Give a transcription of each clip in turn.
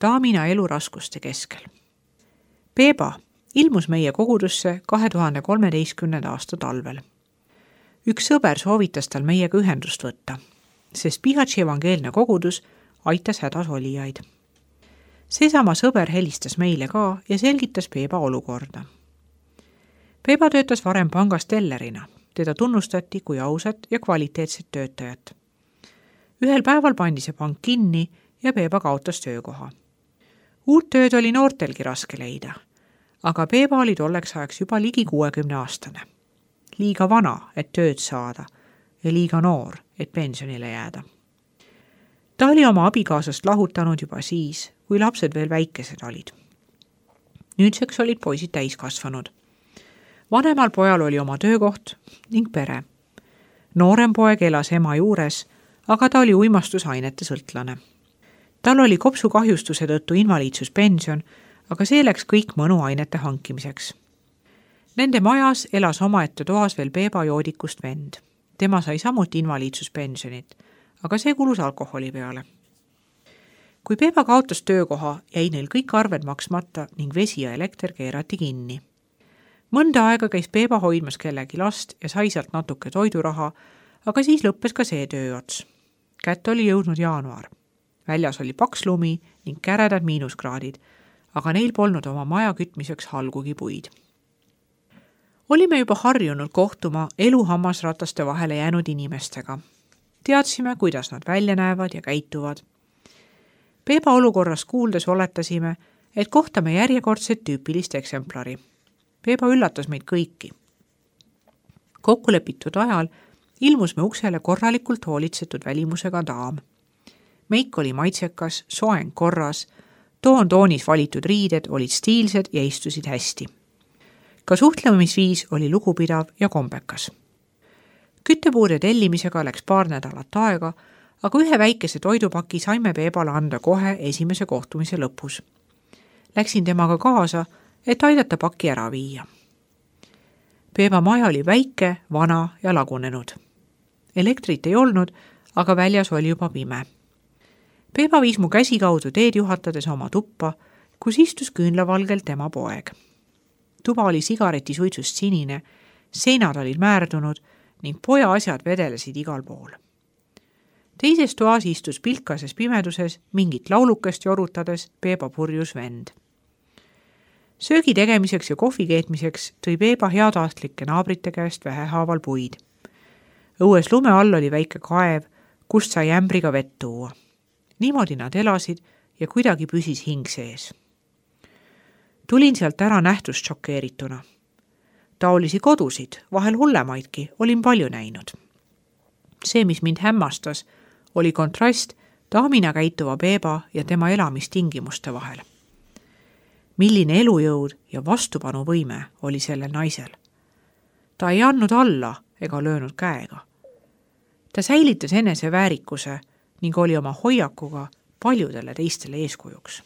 daamina eluraskuste keskel. Peeba ilmus meie kogudusse 2013. aasta talvel. Üks sõber soovitas tal meiega ühendust võtta, sest Pihatši evangeelne kogudus aitas hädas olijaid. Seesama sõber helistas meile ka ja selgitas Peeba olukorda. Peeba töötas varem pangas tellerina. Teda tunnustati kui ausat ja kvaliteetset töötajat. Ühel päeval pandi see pank kinni ja Peeba kaotas töökoha. Uut tööd oli noortelgi raske leida, aga Peeba oli tolleks ajaks juba ligi 60-aastane. Liiga vana, et tööd saada ja liiga noor, et pensionile jääda. Ta oli oma abikaasast lahutanud juba siis, kui lapsed veel väikesed olid. Nüüdseks olid poisid täiskasvanud. Vanemal pojal oli oma töökoht ning pere. Noorem poeg elas ema juures, aga ta oli uimastusainete sõltlane. Tal oli kopsukahjustuse tõttu invaliidsuspension, aga see läks kõik mõnuainete hankimiseks. Nende majas elas omaette toas veel Peeba joodikust vend. Tema sai samuti invaliidsuspensionit, aga see kulus alkoholi peale. Kui Peeba kaotas töökoha, jäi neil kõik arved maksmata ning vesi ja elekter keerati kinni. Mõnda aega käis Peeba hoidmas kellegi last ja sai sealt natuke toiduraha, aga siis lõppes ka see tööots. Kätte oli jõudnud jaanuar. Väljas oli paks lumi ning käredad miinuskraadid, aga neil polnud oma maja kütmiseks halgugi puid. Olime juba harjunud kohtuma eluhammasrataste vahele jäänud inimestega. Teadsime, kuidas nad välja näevad ja käituvad. Peeba olukorras kuuldes oletasime, et kohtame järjekordset tüüpilist eksemplari. Peeba üllatas meid kõiki. Kokkulepitud ajal ilmus me uksele korralikult hoolitsetud välimusega daam. Meik oli maitsekas, soeng korras, toonis valitud riided olid stiilsed ja istusid hästi. Ka suhtlemisviis oli lugupidav ja kombekas. Küttepuude tellimisega läks paar nädalat aega, aga ühe väikese toidupaki saime Peebale anda kohe esimese kohtumise lõpus. Läksin temaga kaasa, et aidata paki ära viia. Peeba maja oli väike, vana ja lagunenud. Elektrit ei olnud, aga väljas oli juba pime. Peeba viis mu käsi kaudu teed juhatades oma tuppa, kus istus küünlavalgel tema poeg. Tuba oli sigaretisuitsust sinine, seinad olid määrdunud ning poja asjad vedelesid igal pool. Teises toas istus pilkases pimeduses mingit laulukest jorutades Peeba purjus vend. Söögi tegemiseks ja kohvi keetmiseks tõi Peeba heataastlike naabrite käest vähehaaval puid. Õues lume all oli väike kaev, kust sai ämbriga vett tuua. Niimoodi nad elasid ja kuidagi püsis hing sees. Tulin sealt ära nähtust šokeerituna. Taolisi kodusid, vahel hullemaidki, olin palju näinud. See, mis mind hämmastas, oli kontrast daamina käituva Peeba ja tema elamistingimuste vahel. Milline elujõud ja vastupanuvõime oli sellel naisel. Ta ei andnud alla ega löönud käega. Ta säilitas enese väärikuse ning oli oma hoiakuga paljudele teistele eeskujuks.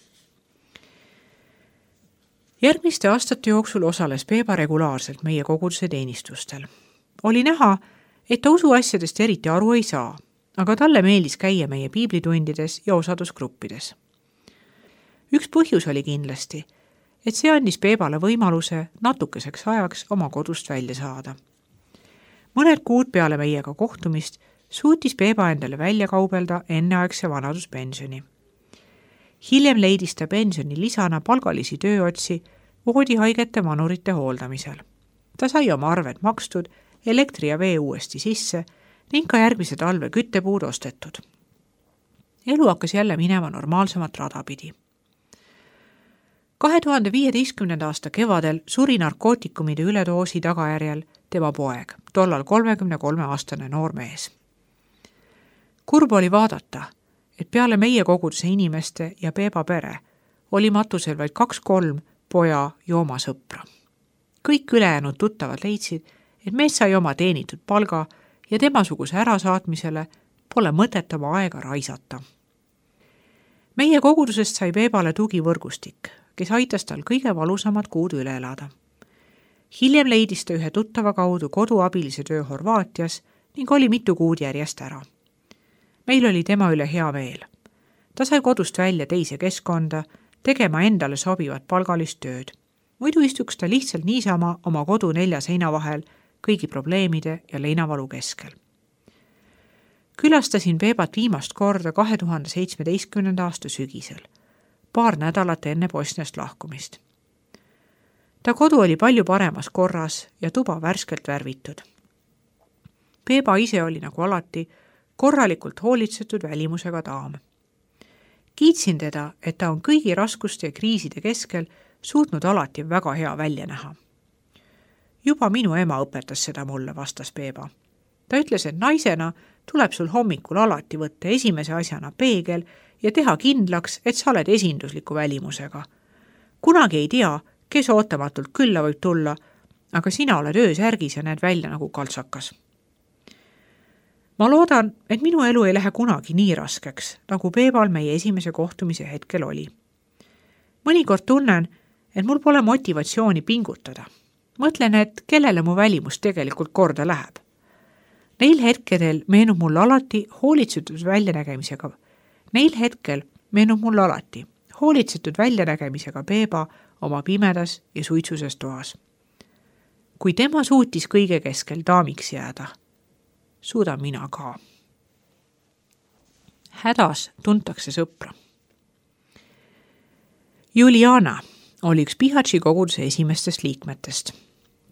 Järgmiste aastate jooksul osales Peeba regulaarselt meie koguduse teenistustel. Oli näha, et ta usuasjadest eriti aru ei saa, aga talle meeldis käia meie piiblitundides ja osadusgruppides. Üks põhjus oli kindlasti, et see andis Peebale võimaluse natukeseks ajaks oma kodust välja saada. Mõned kuud peale meiega kohtumist suutis Peeba endale välja kaubelda enneaegse vanaduspensioni. Hiljem leidis ta pensioni lisana palgalisi tööotsi voodihaigete vanurite hooldamisel. Ta sai oma arved makstud, elektri ja vee uuesti sisse ning ka järgmise talve küttepuud ostetud. Elu hakkas jälle minema normaalsemat rada pidi. 2015. aasta kevadel suri narkootikumide üledoosi tagajärjel tema poeg, tollal 33-aastane noormees. Kurb oli vaadata, et peale meie koguduse inimeste ja Peeba pere oli matusel vaid 2-3 poja joomasõpra. Kõik ülejäänud tuttavad leidsid, et mees sai oma teenitud palga ja temasuguse ärasaatmisele pole mõtet oma aega raisata. Meie kogudusest sai Peebale tugivõrgustik, kes aitas tal kõige valusamad kuud üle elada. Hiljem leidis ta ühe tuttava kaudu koduabilise töö Horvaatias ning oli mitu kuud järjest ära. Meil oli tema üle hea meel. Ta sai kodust välja teise keskkonda, tegema endale sobivat palgalist tööd. Muidu istuks ta lihtsalt niisama oma kodu 4 seina vahel kõigi probleemide ja leinavalu keskel. Külastasin Peebat viimast korda 2017. aasta sügisel, paar nädalat enne Bosniast lahkumist. Ta kodu oli palju paremas korras ja tuba värskelt värvitud. Peeba ise oli nagu alati korralikult hoolitsetud välimusega daam. Kiitsin teda, et ta on kõigi raskuste ja kriiside keskel suutnud alati väga hea välja näha. Juba minu ema õpetas seda mulle, vastas Peeba. Ta ütles, et naisena tuleb sul hommikul alati võtta esimese asjana peegel ja teha kindlaks, et sa oled esindusliku välimusega. Kunagi ei tea, kes ootamatult külla võib tulla, aga sina oled öösärgis ja näed välja nagu kaltsakas. Ma loodan, et minu elu ei lähe kunagi nii raskeks, nagu Peebal meie esimese kohtumise hetkel oli. Mõnikord tunnen, et mul pole motivatsiooni pingutada. Mõtlen, et kellele mu välimus tegelikult korda läheb. Neil hetkedel meenub mul alati hoolitsetud väljanägemisega Peeba oma pimedas ja suitsuses toas. Kui tema suutis kõige keskel daamiks jääda, suudan mina ka. Hädas tuntakse sõpra. Juliana oli üks Bihaći koguduse esimestest liikmetest.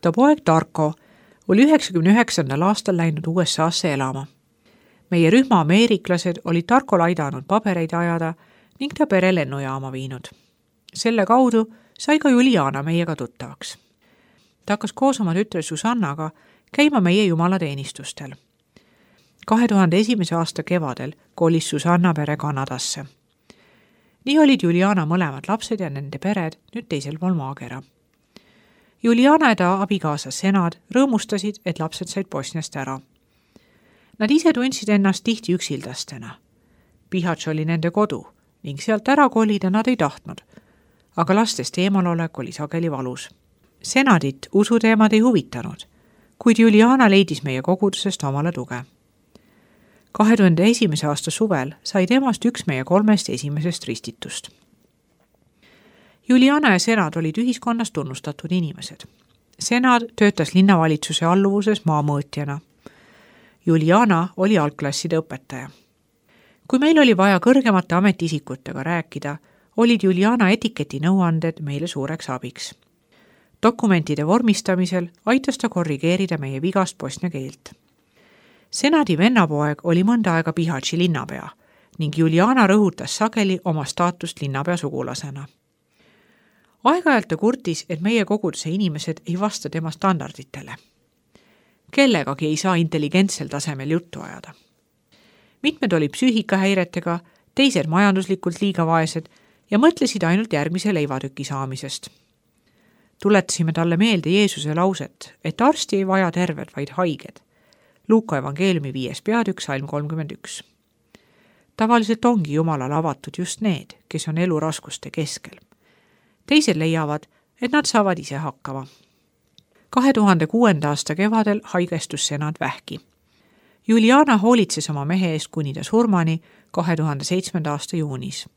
Ta poeg Darko oli 99. aastal läinud USA-sse elama. Meie rühma ameeriklased olid Darkol aidanud pabereid ajada ning ta pere lennujaama viinud. Selle kaudu sai ka Juliana meiega tuttavaks. Ta hakkas koos oma tütre Susannaga käima meie jumalateenistustel. 2001. aasta kevadel kolis Susanna pere Kanadasse. Nii olid Juliana mõlemad lapsed ja nende pered nüüd teisel pool maakera. Juliana ja ta abikaasa Senad rõõmustasid, et lapsed said Bosniast ära. Nad ise tundsid ennast tihti üksildastena. Bihać oli nende kodu ning sealt ära kolida nad ei tahtnud, aga lastest eemalolek oli sageli valus. Senadit usuteemad ei huvitanud, kuid Juliana leidis meie kogudusest omale tuge. 2001. aasta suvel sai temast üks meie 3 esimesest ristitust. Juliana ja Senad olid ühiskonnas tunnustatud inimesed. Senad töötas linnavalitsuse alluvuses maamõõtjana. Juliana oli algklasside õpetaja. Kui meil oli vaja kõrgemate ametiisikutega rääkida, olid Juliana etiketi nõuanded meile suureks abiks. Dokumentide vormistamisel aitas ta korrigeerida meie vigast bosnia keelt. Senadi vennapoeg oli mõnda aega Bihaći linnapea ning Juliana rõhutas sageli oma staatust linnapea sugulasena. Aeg-ajalt ta kurtis, et meie koguduse inimesed ei vasta tema standarditele. Kellegagi ei saa intelligentsel tasemel juttu ajada. Mitmed olid psüühikahäiretega, teised majanduslikult liiga vaesed ja mõtlesid ainult järgmise leivatüki saamisest. Tuletasime talle meelde Jeesuse lauset, et arsti ei vaja terved, vaid haiged. Luuka evangeeliumi 5. peatükk, salm 31. Tavaliselt ongi Jumalale avatud just need, kes on elu raskuste keskel. Teised leiavad, et nad saavad ise hakkama. 2006. aasta kevadel haigestus Senad vähki. Juliana hoolitses oma mehe eest kuni ta surmani 2007. aasta juunis.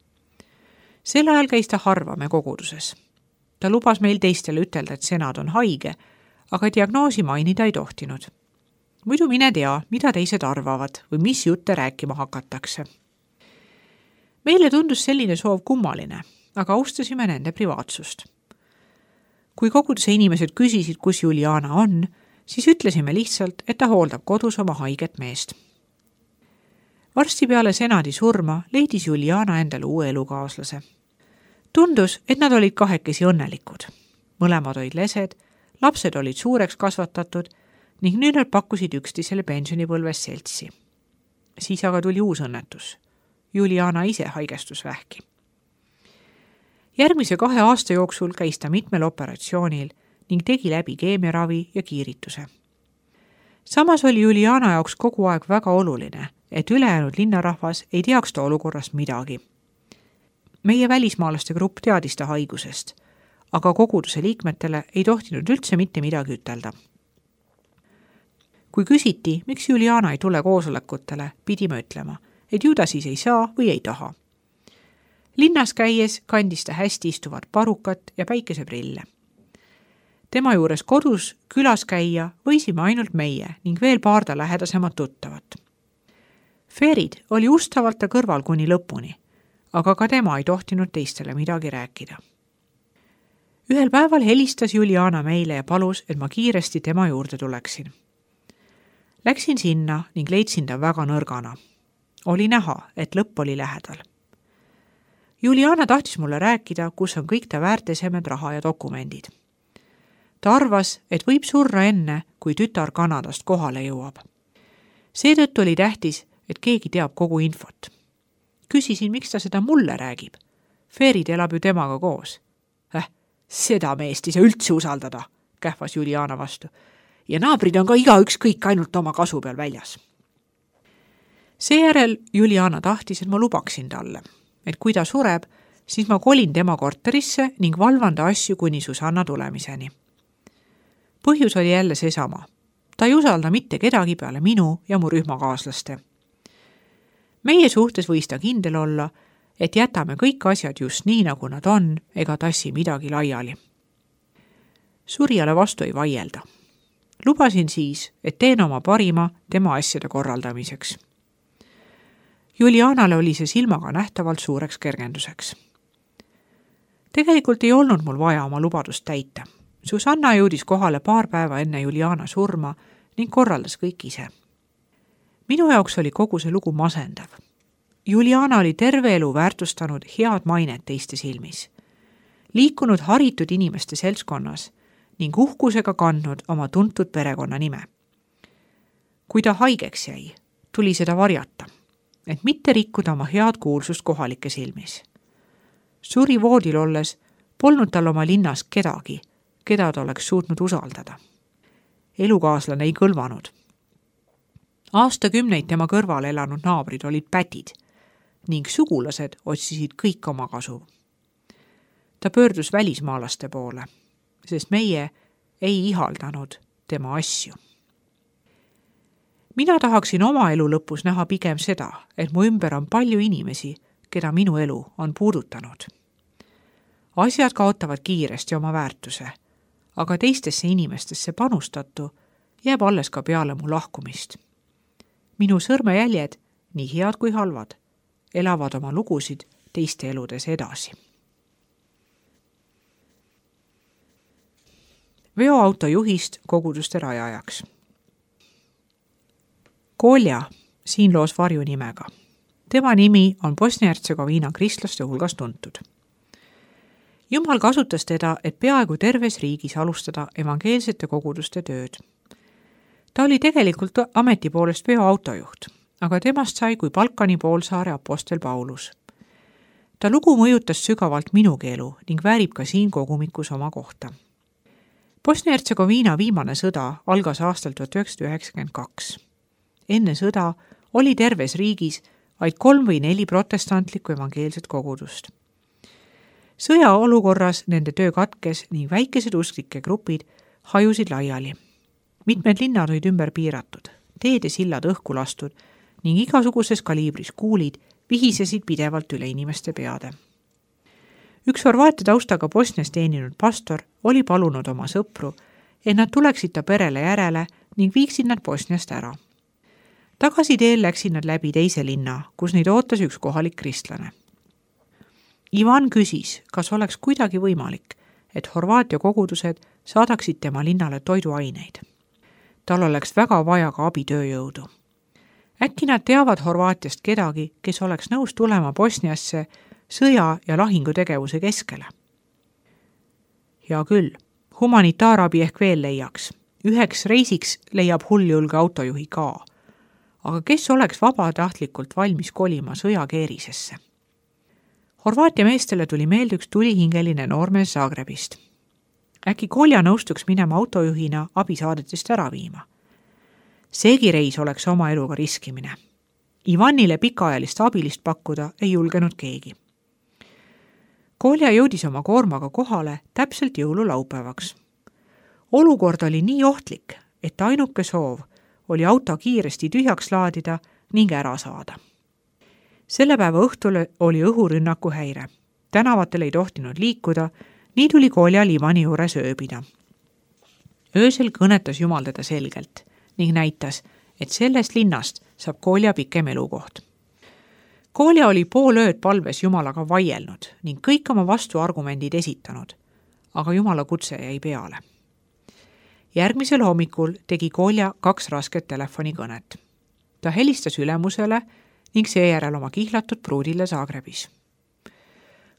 Sel ajal käis ta harva me koguduses. Ta lubas meil teistele ütelda, et Senad on haige, aga diagnoosi mainida ei tohtinud. Muidu mine tea, mida teised arvavad või mis jutte rääkima hakatakse. Meile tundus selline soov kummaline, aga austasime nende privaatsust. Kui koguduse inimesed küsisid, kus Juliana on, siis ütlesime lihtsalt, et ta hooldab kodus oma haiget meest. Varsti peale Senadi surma leidis Juliana endale uue elukaaslase. Tundus, et nad olid kahekesi õnnelikud. Mõlemad olid lesed, lapsed olid suureks kasvatatud ning nüüd nad pakkusid üksteisele pensionipõlves seltsi. Siis aga tuli uus õnnetus. Juliana ise haigestus vähki. Järgmise 2 aasta jooksul käis ta mitmel operatsioonil ning tegi läbi keemiaravi ja kiirituse. Samas oli Juliana jaoks kogu aeg väga oluline, et ülejäänud linnarahvas ei teaks ta olukorrast midagi. Meie välismaalaste grupp teadis ta haigusest, aga koguduse liikmetele ei tohtinud üldse mitte midagi ütelda. Kui küsiti, miks Juliana ei tule koosolekutele, pidime ütlema, et ju ta siis ei saa või ei taha. Linnas käies kandis ta hästi istuvat parukat ja päikeseprille. Tema juures kodus külas käia võisime ainult meie ning veel paar ta lähedasemad tuttavat. Ferid oli ustavalt ta kõrval kuni lõpuni, aga ka tema ei tohtinud teistele midagi rääkida. Ühel päeval helistas Juliana meile ja palus, et ma kiiresti tema juurde tuleksin. Läksin sinna ning leidsin ta väga nõrgana. Oli näha, et lõpp oli lähedal. Juliana tahtis mulle rääkida, kus on kõik ta väärtesemed, raha ja dokumendid. Ta arvas, et võib surra enne, kui tütar Kanadast kohale jõuab. Seetõttu oli tähtis, et keegi teab kogu infot. Küsisin, miks ta seda mulle räägib. Ferid elab ju temaga koos. Seda meest ei saa üldse usaldada, kähvas Juliana vastu. Ja naabrid on ka igaüks kõik ainult oma kasu peal väljas. Seejärel Juliana tahtis, et ma lubaksin talle, et kui ta sureb, siis ma kolin tema korterisse ning valvan ta asju kuni Susanna tulemiseni. Põhjus oli jälle seesama. Ta ei usalda mitte kedagi peale minu ja mu rühmakaaslaste. Meie suhtes võis ta kindel olla, et jätame kõik asjad just nii, nagu nad on, ega tassi midagi laiali. Surijale vastu ei vaielda. Lubasin siis, et teen oma parima tema asjade korraldamiseks. Julianale oli see silmaga nähtavalt suureks kergenduseks. Tegelikult ei olnud mul vaja oma lubadust täita. Susanna jõudis kohale paar päeva enne Juliana surma ning korraldas kõik ise. Minu jaoks oli kogu see lugu masendav. Juliana oli terve elu väärtustanud head mainet teiste silmis, liikunud haritud inimeste seltskonnas ning uhkusega kandnud oma tuntud perekonna nime. Kui ta haigeks jäi, tuli seda varjata, et mitte rikkuda oma head kuulsust kohalike silmis. Suri voodil olles polnud tal oma linnas kedagi, keda ta oleks suutnud usaldada. Elukaaslane ei kõlvanud. Aastakümneid tema kõrval elanud naabrid olid pätid ning sugulased otsisid kõik oma kasu. Ta pöördus välismaalaste poole, sest meie ei ihaldanud tema asju. Mina tahaksin oma elu lõpus näha pigem seda, et mu ümber on palju inimesi, keda minu elu on puudutanud. Asjad kaotavad kiiresti oma väärtuse, aga teistesse inimestesse panustatu jääb alles ka peale mu lahkumist. Minu sõrmejäljed, nii head kui halvad, elavad oma lugusid teiste eludes edasi. Veoauto juhist koguduste rajajaks. Kolja, siin loos varjunimega. Tema nimi on Bosnia-Hertsegoviina kristlaste hulgas tuntud. Jumal kasutas teda, et peaaegu terves riigis alustada evangeelsete koguduste tööd. Ta oli tegelikult ameti poolest veoautojuht, aga temast sai kui Balkani poolsaare apostel Paulus. Ta lugu mõjutas sügavalt minugi elu ning väärib ka siin kogumikus oma kohta. Bosnia-Hertsegoviina viimane sõda algas aastal 1992. Enne sõda oli terves riigis vaid 3 või 4 protestantlikku evangeelset kogudust. Sõjaolukorras nende töö katkes ning väikesed usklike grupid hajusid laiali. Mitmed linnad olid ümber piiratud, teed ja sillad õhku lastud ning igasuguses kaliibris kuulid vihisesid pidevalt üle inimeste peade. Üks Horvaatia taustaga Bosnias teeninud pastor oli palunud oma sõpru, et nad tuleksid ta perele järele ning viiksid nad Bosniast ära. Tagasi teel läksid nad läbi teise linna, kus neid ootas üks kohalik kristlane. Ivan küsis, kas oleks kuidagi võimalik, et Horvaatia kogudused saadaksid tema linnale toiduaineid. Tal oleks väga vaja ka abitööjõudu. Äkki nad teavad Horvaatiast kedagi, kes oleks nõus tulema Bosniasse sõja- ja lahingutegevuse keskele. Hea küll, humanitaarabi ehk veel leiaks. Üheks reisiks leiab hulljulge autojuhi ka. Aga kes oleks vabatahtlikult valmis kolima sõjakeerisesse? Horvaatia meestele tuli meelde üks tulihingeline noormees Zagrebist. Äkki Kolja nõustuks minema autojuhina abisaadetest ära viima. Seegi reis oleks oma eluga riskimine. Ivanile pikaajalist abilist pakkuda ei julgenud keegi. Kolja jõudis oma koormaga kohale täpselt jõululaupäevaks. Olukord oli nii ohtlik, et ainuke soov oli auto kiiresti tühjaks laadida ning ära saada. Selle päeva õhtul oli õhurünnaku häire. Tänavatel ei tohtinud liikuda, nii tuli Kolja Livani juures ööbida. Öösel kõnetas Jumal teda selgelt ning näitas, et sellest linnast saab Kolja pikem elukoht. Kolja oli pool ööd palves Jumalaga vaielnud ning kõik oma vastuargumendid esitanud, aga Jumala kutse jäi peale. Järgmisel hommikul tegi Kolja 2 rasket telefonikõnet. Ta helistas ülemusele ning seejärel oma kihlatud pruudile Zagrebis.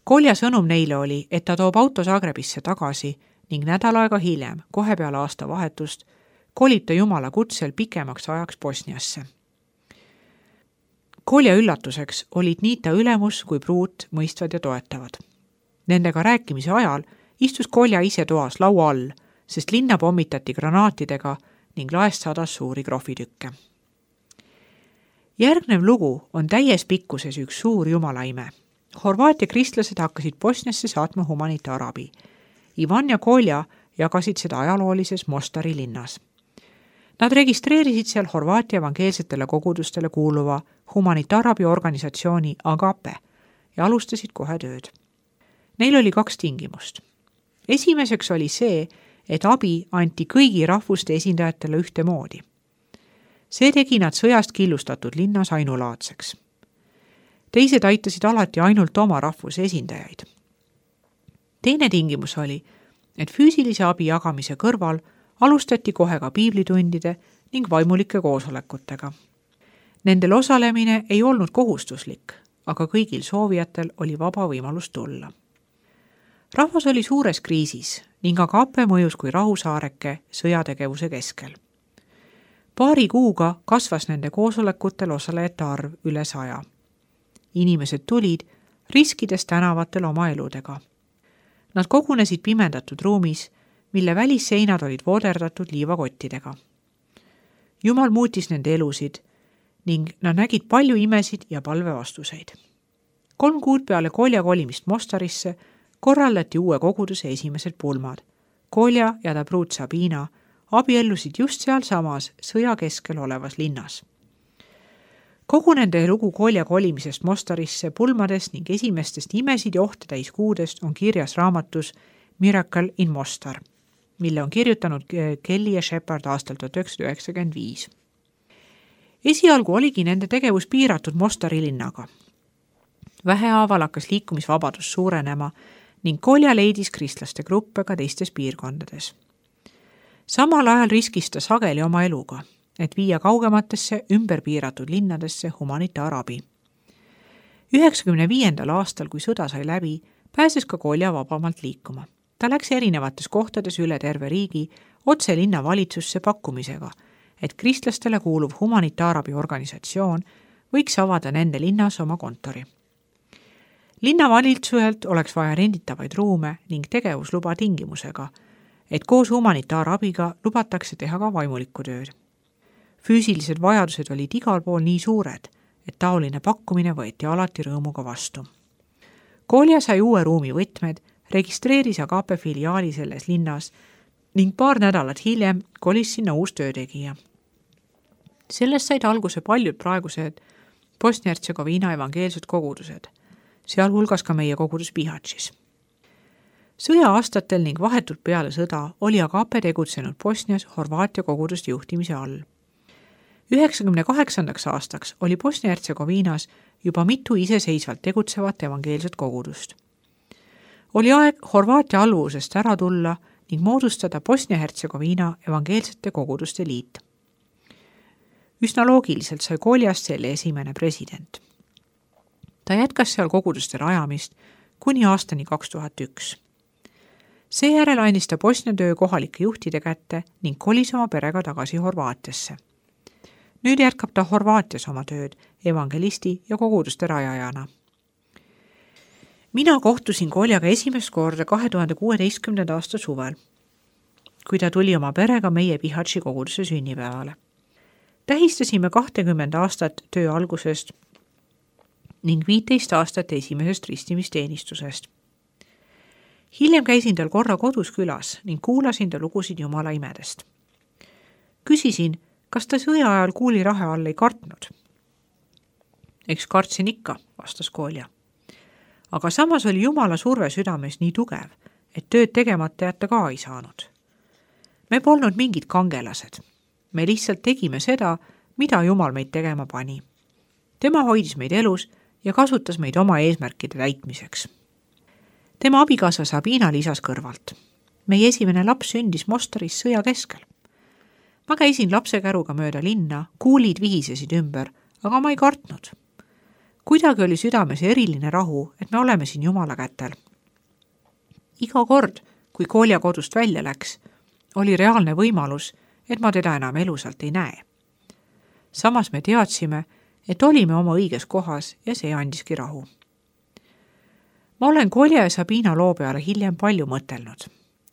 Kolja sõnum neile oli, et ta toob auto Zagrebisse tagasi ning nädal aega hiljem, kohe peale aastavahetust, kolib ta Jumala kutsel pikemaks ajaks Bosniasse. Kolja üllatuseks olid nii ta ülemus kui pruut mõistvad ja toetavad. Nendega rääkimise ajal istus Kolja ise toas laua all, sest linna pommitati granaatidega ning laest sadas suuri krohvitükke. Järgnev lugu on täies pikkuses üks suur jumalaime. Horvaatia kristlased hakkasid Bosniasse saatma humanitaarabi. Ivan ja Kolja jagasid seda ajaloolises Mostari linnas. Nad registreerisid seal Horvaatia evangeelsetele kogudustele kuuluva humanitaarabiorganisatsiooni Agape ja alustasid kohe tööd. Neil oli 2 tingimust. Esimeseks oli see, et abi anti kõigi rahvuste esindajatele ühtemoodi. See tegi nad sõjast killustatud linnas ainulaadseks. Teised aitasid alati ainult oma rahvuse esindajaid. Teine tingimus oli, et füüsilise abi jagamise kõrval alustati kohe ka piiblitundide ning vaimulike koosolekutega. Nendel osalemine ei olnud kohustuslik, aga kõigil soovijatel oli vaba võimalus tulla. Rahvas oli suures kriisis ning Agape mõjus kui rahusaareke sõjategevuse keskel. Paari kuuga kasvas nende koosolekutel osalejate arv üle 100. Inimesed tulid, riskides tänavatel oma eludega. Nad kogunesid pimendatud ruumis, mille välisseinad olid vooderdatud liivakottidega. Jumal muutis nende elusid ning nad nägid palju imesid ja palvevastuseid. 3 kuud peale Kolja kolimist Mostarisse korraldati uue koguduse esimesed pulmad. Kolja ja ta pruut Sabina abiellusid just sealsamas sõja keskel olevas linnas. Kogu nende lugu Kolja kolimisest Mostarisse, pulmadest ning esimestest imesid ja ohte täis kuudest on kirjas raamatus Miracle in Mostar, mille on kirjutanud Kelly ja Shepard aastal 1995. Esialgu oligi nende tegevus piiratud Mostari linnaga. Vähehaaval hakkas liikumisvabadus suurenema ning Kolja leidis kristlaste gruppe ka teistes piirkondades. Samal ajal riskis ta sageli oma eluga, et viia kaugematesse ümber piiratud linnadesse humanitaarabi. 1995. aastal, kui sõda sai läbi, pääses ka Kolja vabamalt liikuma. Ta läks erinevates kohtades üle terve riigi otse linna valitsusse pakkumisega, et kristlastele kuuluv humanitaarabiorganisatsioon võiks avada nende linnas oma kontori. Linnavalitsuselt oleks vaja renditavaid ruume ning tegevusluba tingimusega, et koos humanitaarabiga lubatakse teha ka vaimulikku tööd. Füüsilised vajadused olid igal pool nii suured, et taoline pakkumine võeti alati rõõmuga vastu. Kolja sai uue ruumi võtmed, registreeris Agape filiaali selles linnas ning 2 nädalat hiljem kolis sinna uus töötegija. Sellest said alguse paljud praegused Bosnia-Hertsegoviina evangeelsed kogudused, sealhulgas ka meie kogudus Bihaćis. Sõja-aastatel ning vahetult peale sõda oli Agape tegutsenud Bosnias Horvaatia koguduste juhtimise all. 1998. aastaks oli Bosnia-Hertsegoviinas juba mitu iseseisvalt tegutsevat evangeelset kogudust. Oli aeg Horvaatia alluvusest ära tulla ning moodustada Bosnia-Hertsegoviina evangeelsete koguduste liit. Üsna loogiliselt sai Koljast selle esimene president. Ta jätkas seal koguduste rajamist kuni aastani 2001. Seejärel andis ta Bosnia töö kohalike juhtide kätte ning kolis oma perega tagasi Horvaatiasse. Nüüd jätkab ta Horvaatias oma tööd evangelisti ja koguduste rajajana. Mina kohtusin Koljaga esimest korda 2016. aasta suvel, kui ta tuli oma perega meie Bihaći koguduse sünnipäevale. Tähistasime 20 aastat töö algusest ning 15 aastat esimesest ristimisteenistusest. Hiljem käisin tal korra kodus külas ning kuulasin ta lugusid Jumala imedest. Küsisin, kas ta sõja ajal kuulirahe all ei kartnud. Eks kartsin ikka, vastas Kolja. Aga samas oli Jumala surve südames nii tugev, et tööd tegemata jätta ka ei saanud. Me polnud mingid kangelased. Me lihtsalt tegime seda, mida Jumal meid tegema pani. Tema hoidis meid elus ja kasutas meid oma eesmärkide täitmiseks. Tema abikaasa Sabina lisas kõrvalt. Meie esimene laps sündis Mostaris sõja keskel. Ma käisin lapsekäruga mööda linna, kuulid vihisesid ümber, aga ma ei kartnud. Kuidagi oli südames eriline rahu, et me oleme siin Jumala kätel. Iga kord, kui Kolja kodust välja läks, oli reaalne võimalus, et ma teda enam elusalt ei näe. Samas me teadsime, et olime oma õiges kohas ja see andiski rahu. Ma olen Kolja ja Sabina loo peale hiljem palju mõtelnud.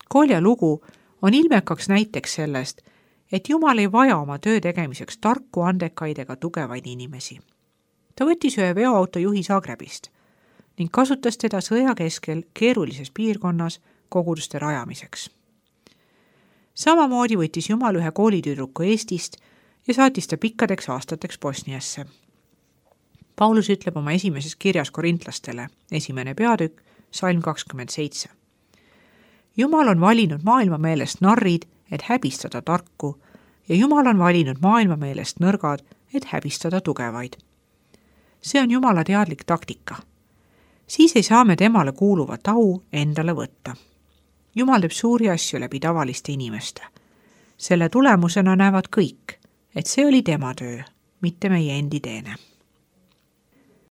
Kolja lugu on ilmekaks näiteks sellest, et Jumal ei vaja oma töö tegemiseks tarku, andekaid ega tugevaid inimesi. Ta võttis ühe veoauto juhi Zagrebist ning kasutas teda sõja keskel keerulises piirkonnas koguduste rajamiseks. Samamoodi võttis Jumal ühe koolitüdruku Eestist ja saatis ta pikkadeks aastateks Bosniasse. Paulus ütleb oma esimeses kirjas korintlastele, 1. peatükk, salm 27. Jumal on valinud maailma meelest narrid, et häbistada tarku, ja Jumal on valinud maailma meelest nõrgad, et häbistada tugevaid. See on Jumala teadlik taktika. Siis ei saa me temale kuuluvat au endale võtta. Jumal teeb suuri asju läbi tavaliste inimeste. Selle tulemusena näevad kõik, et see oli tema töö, mitte meie endi teene.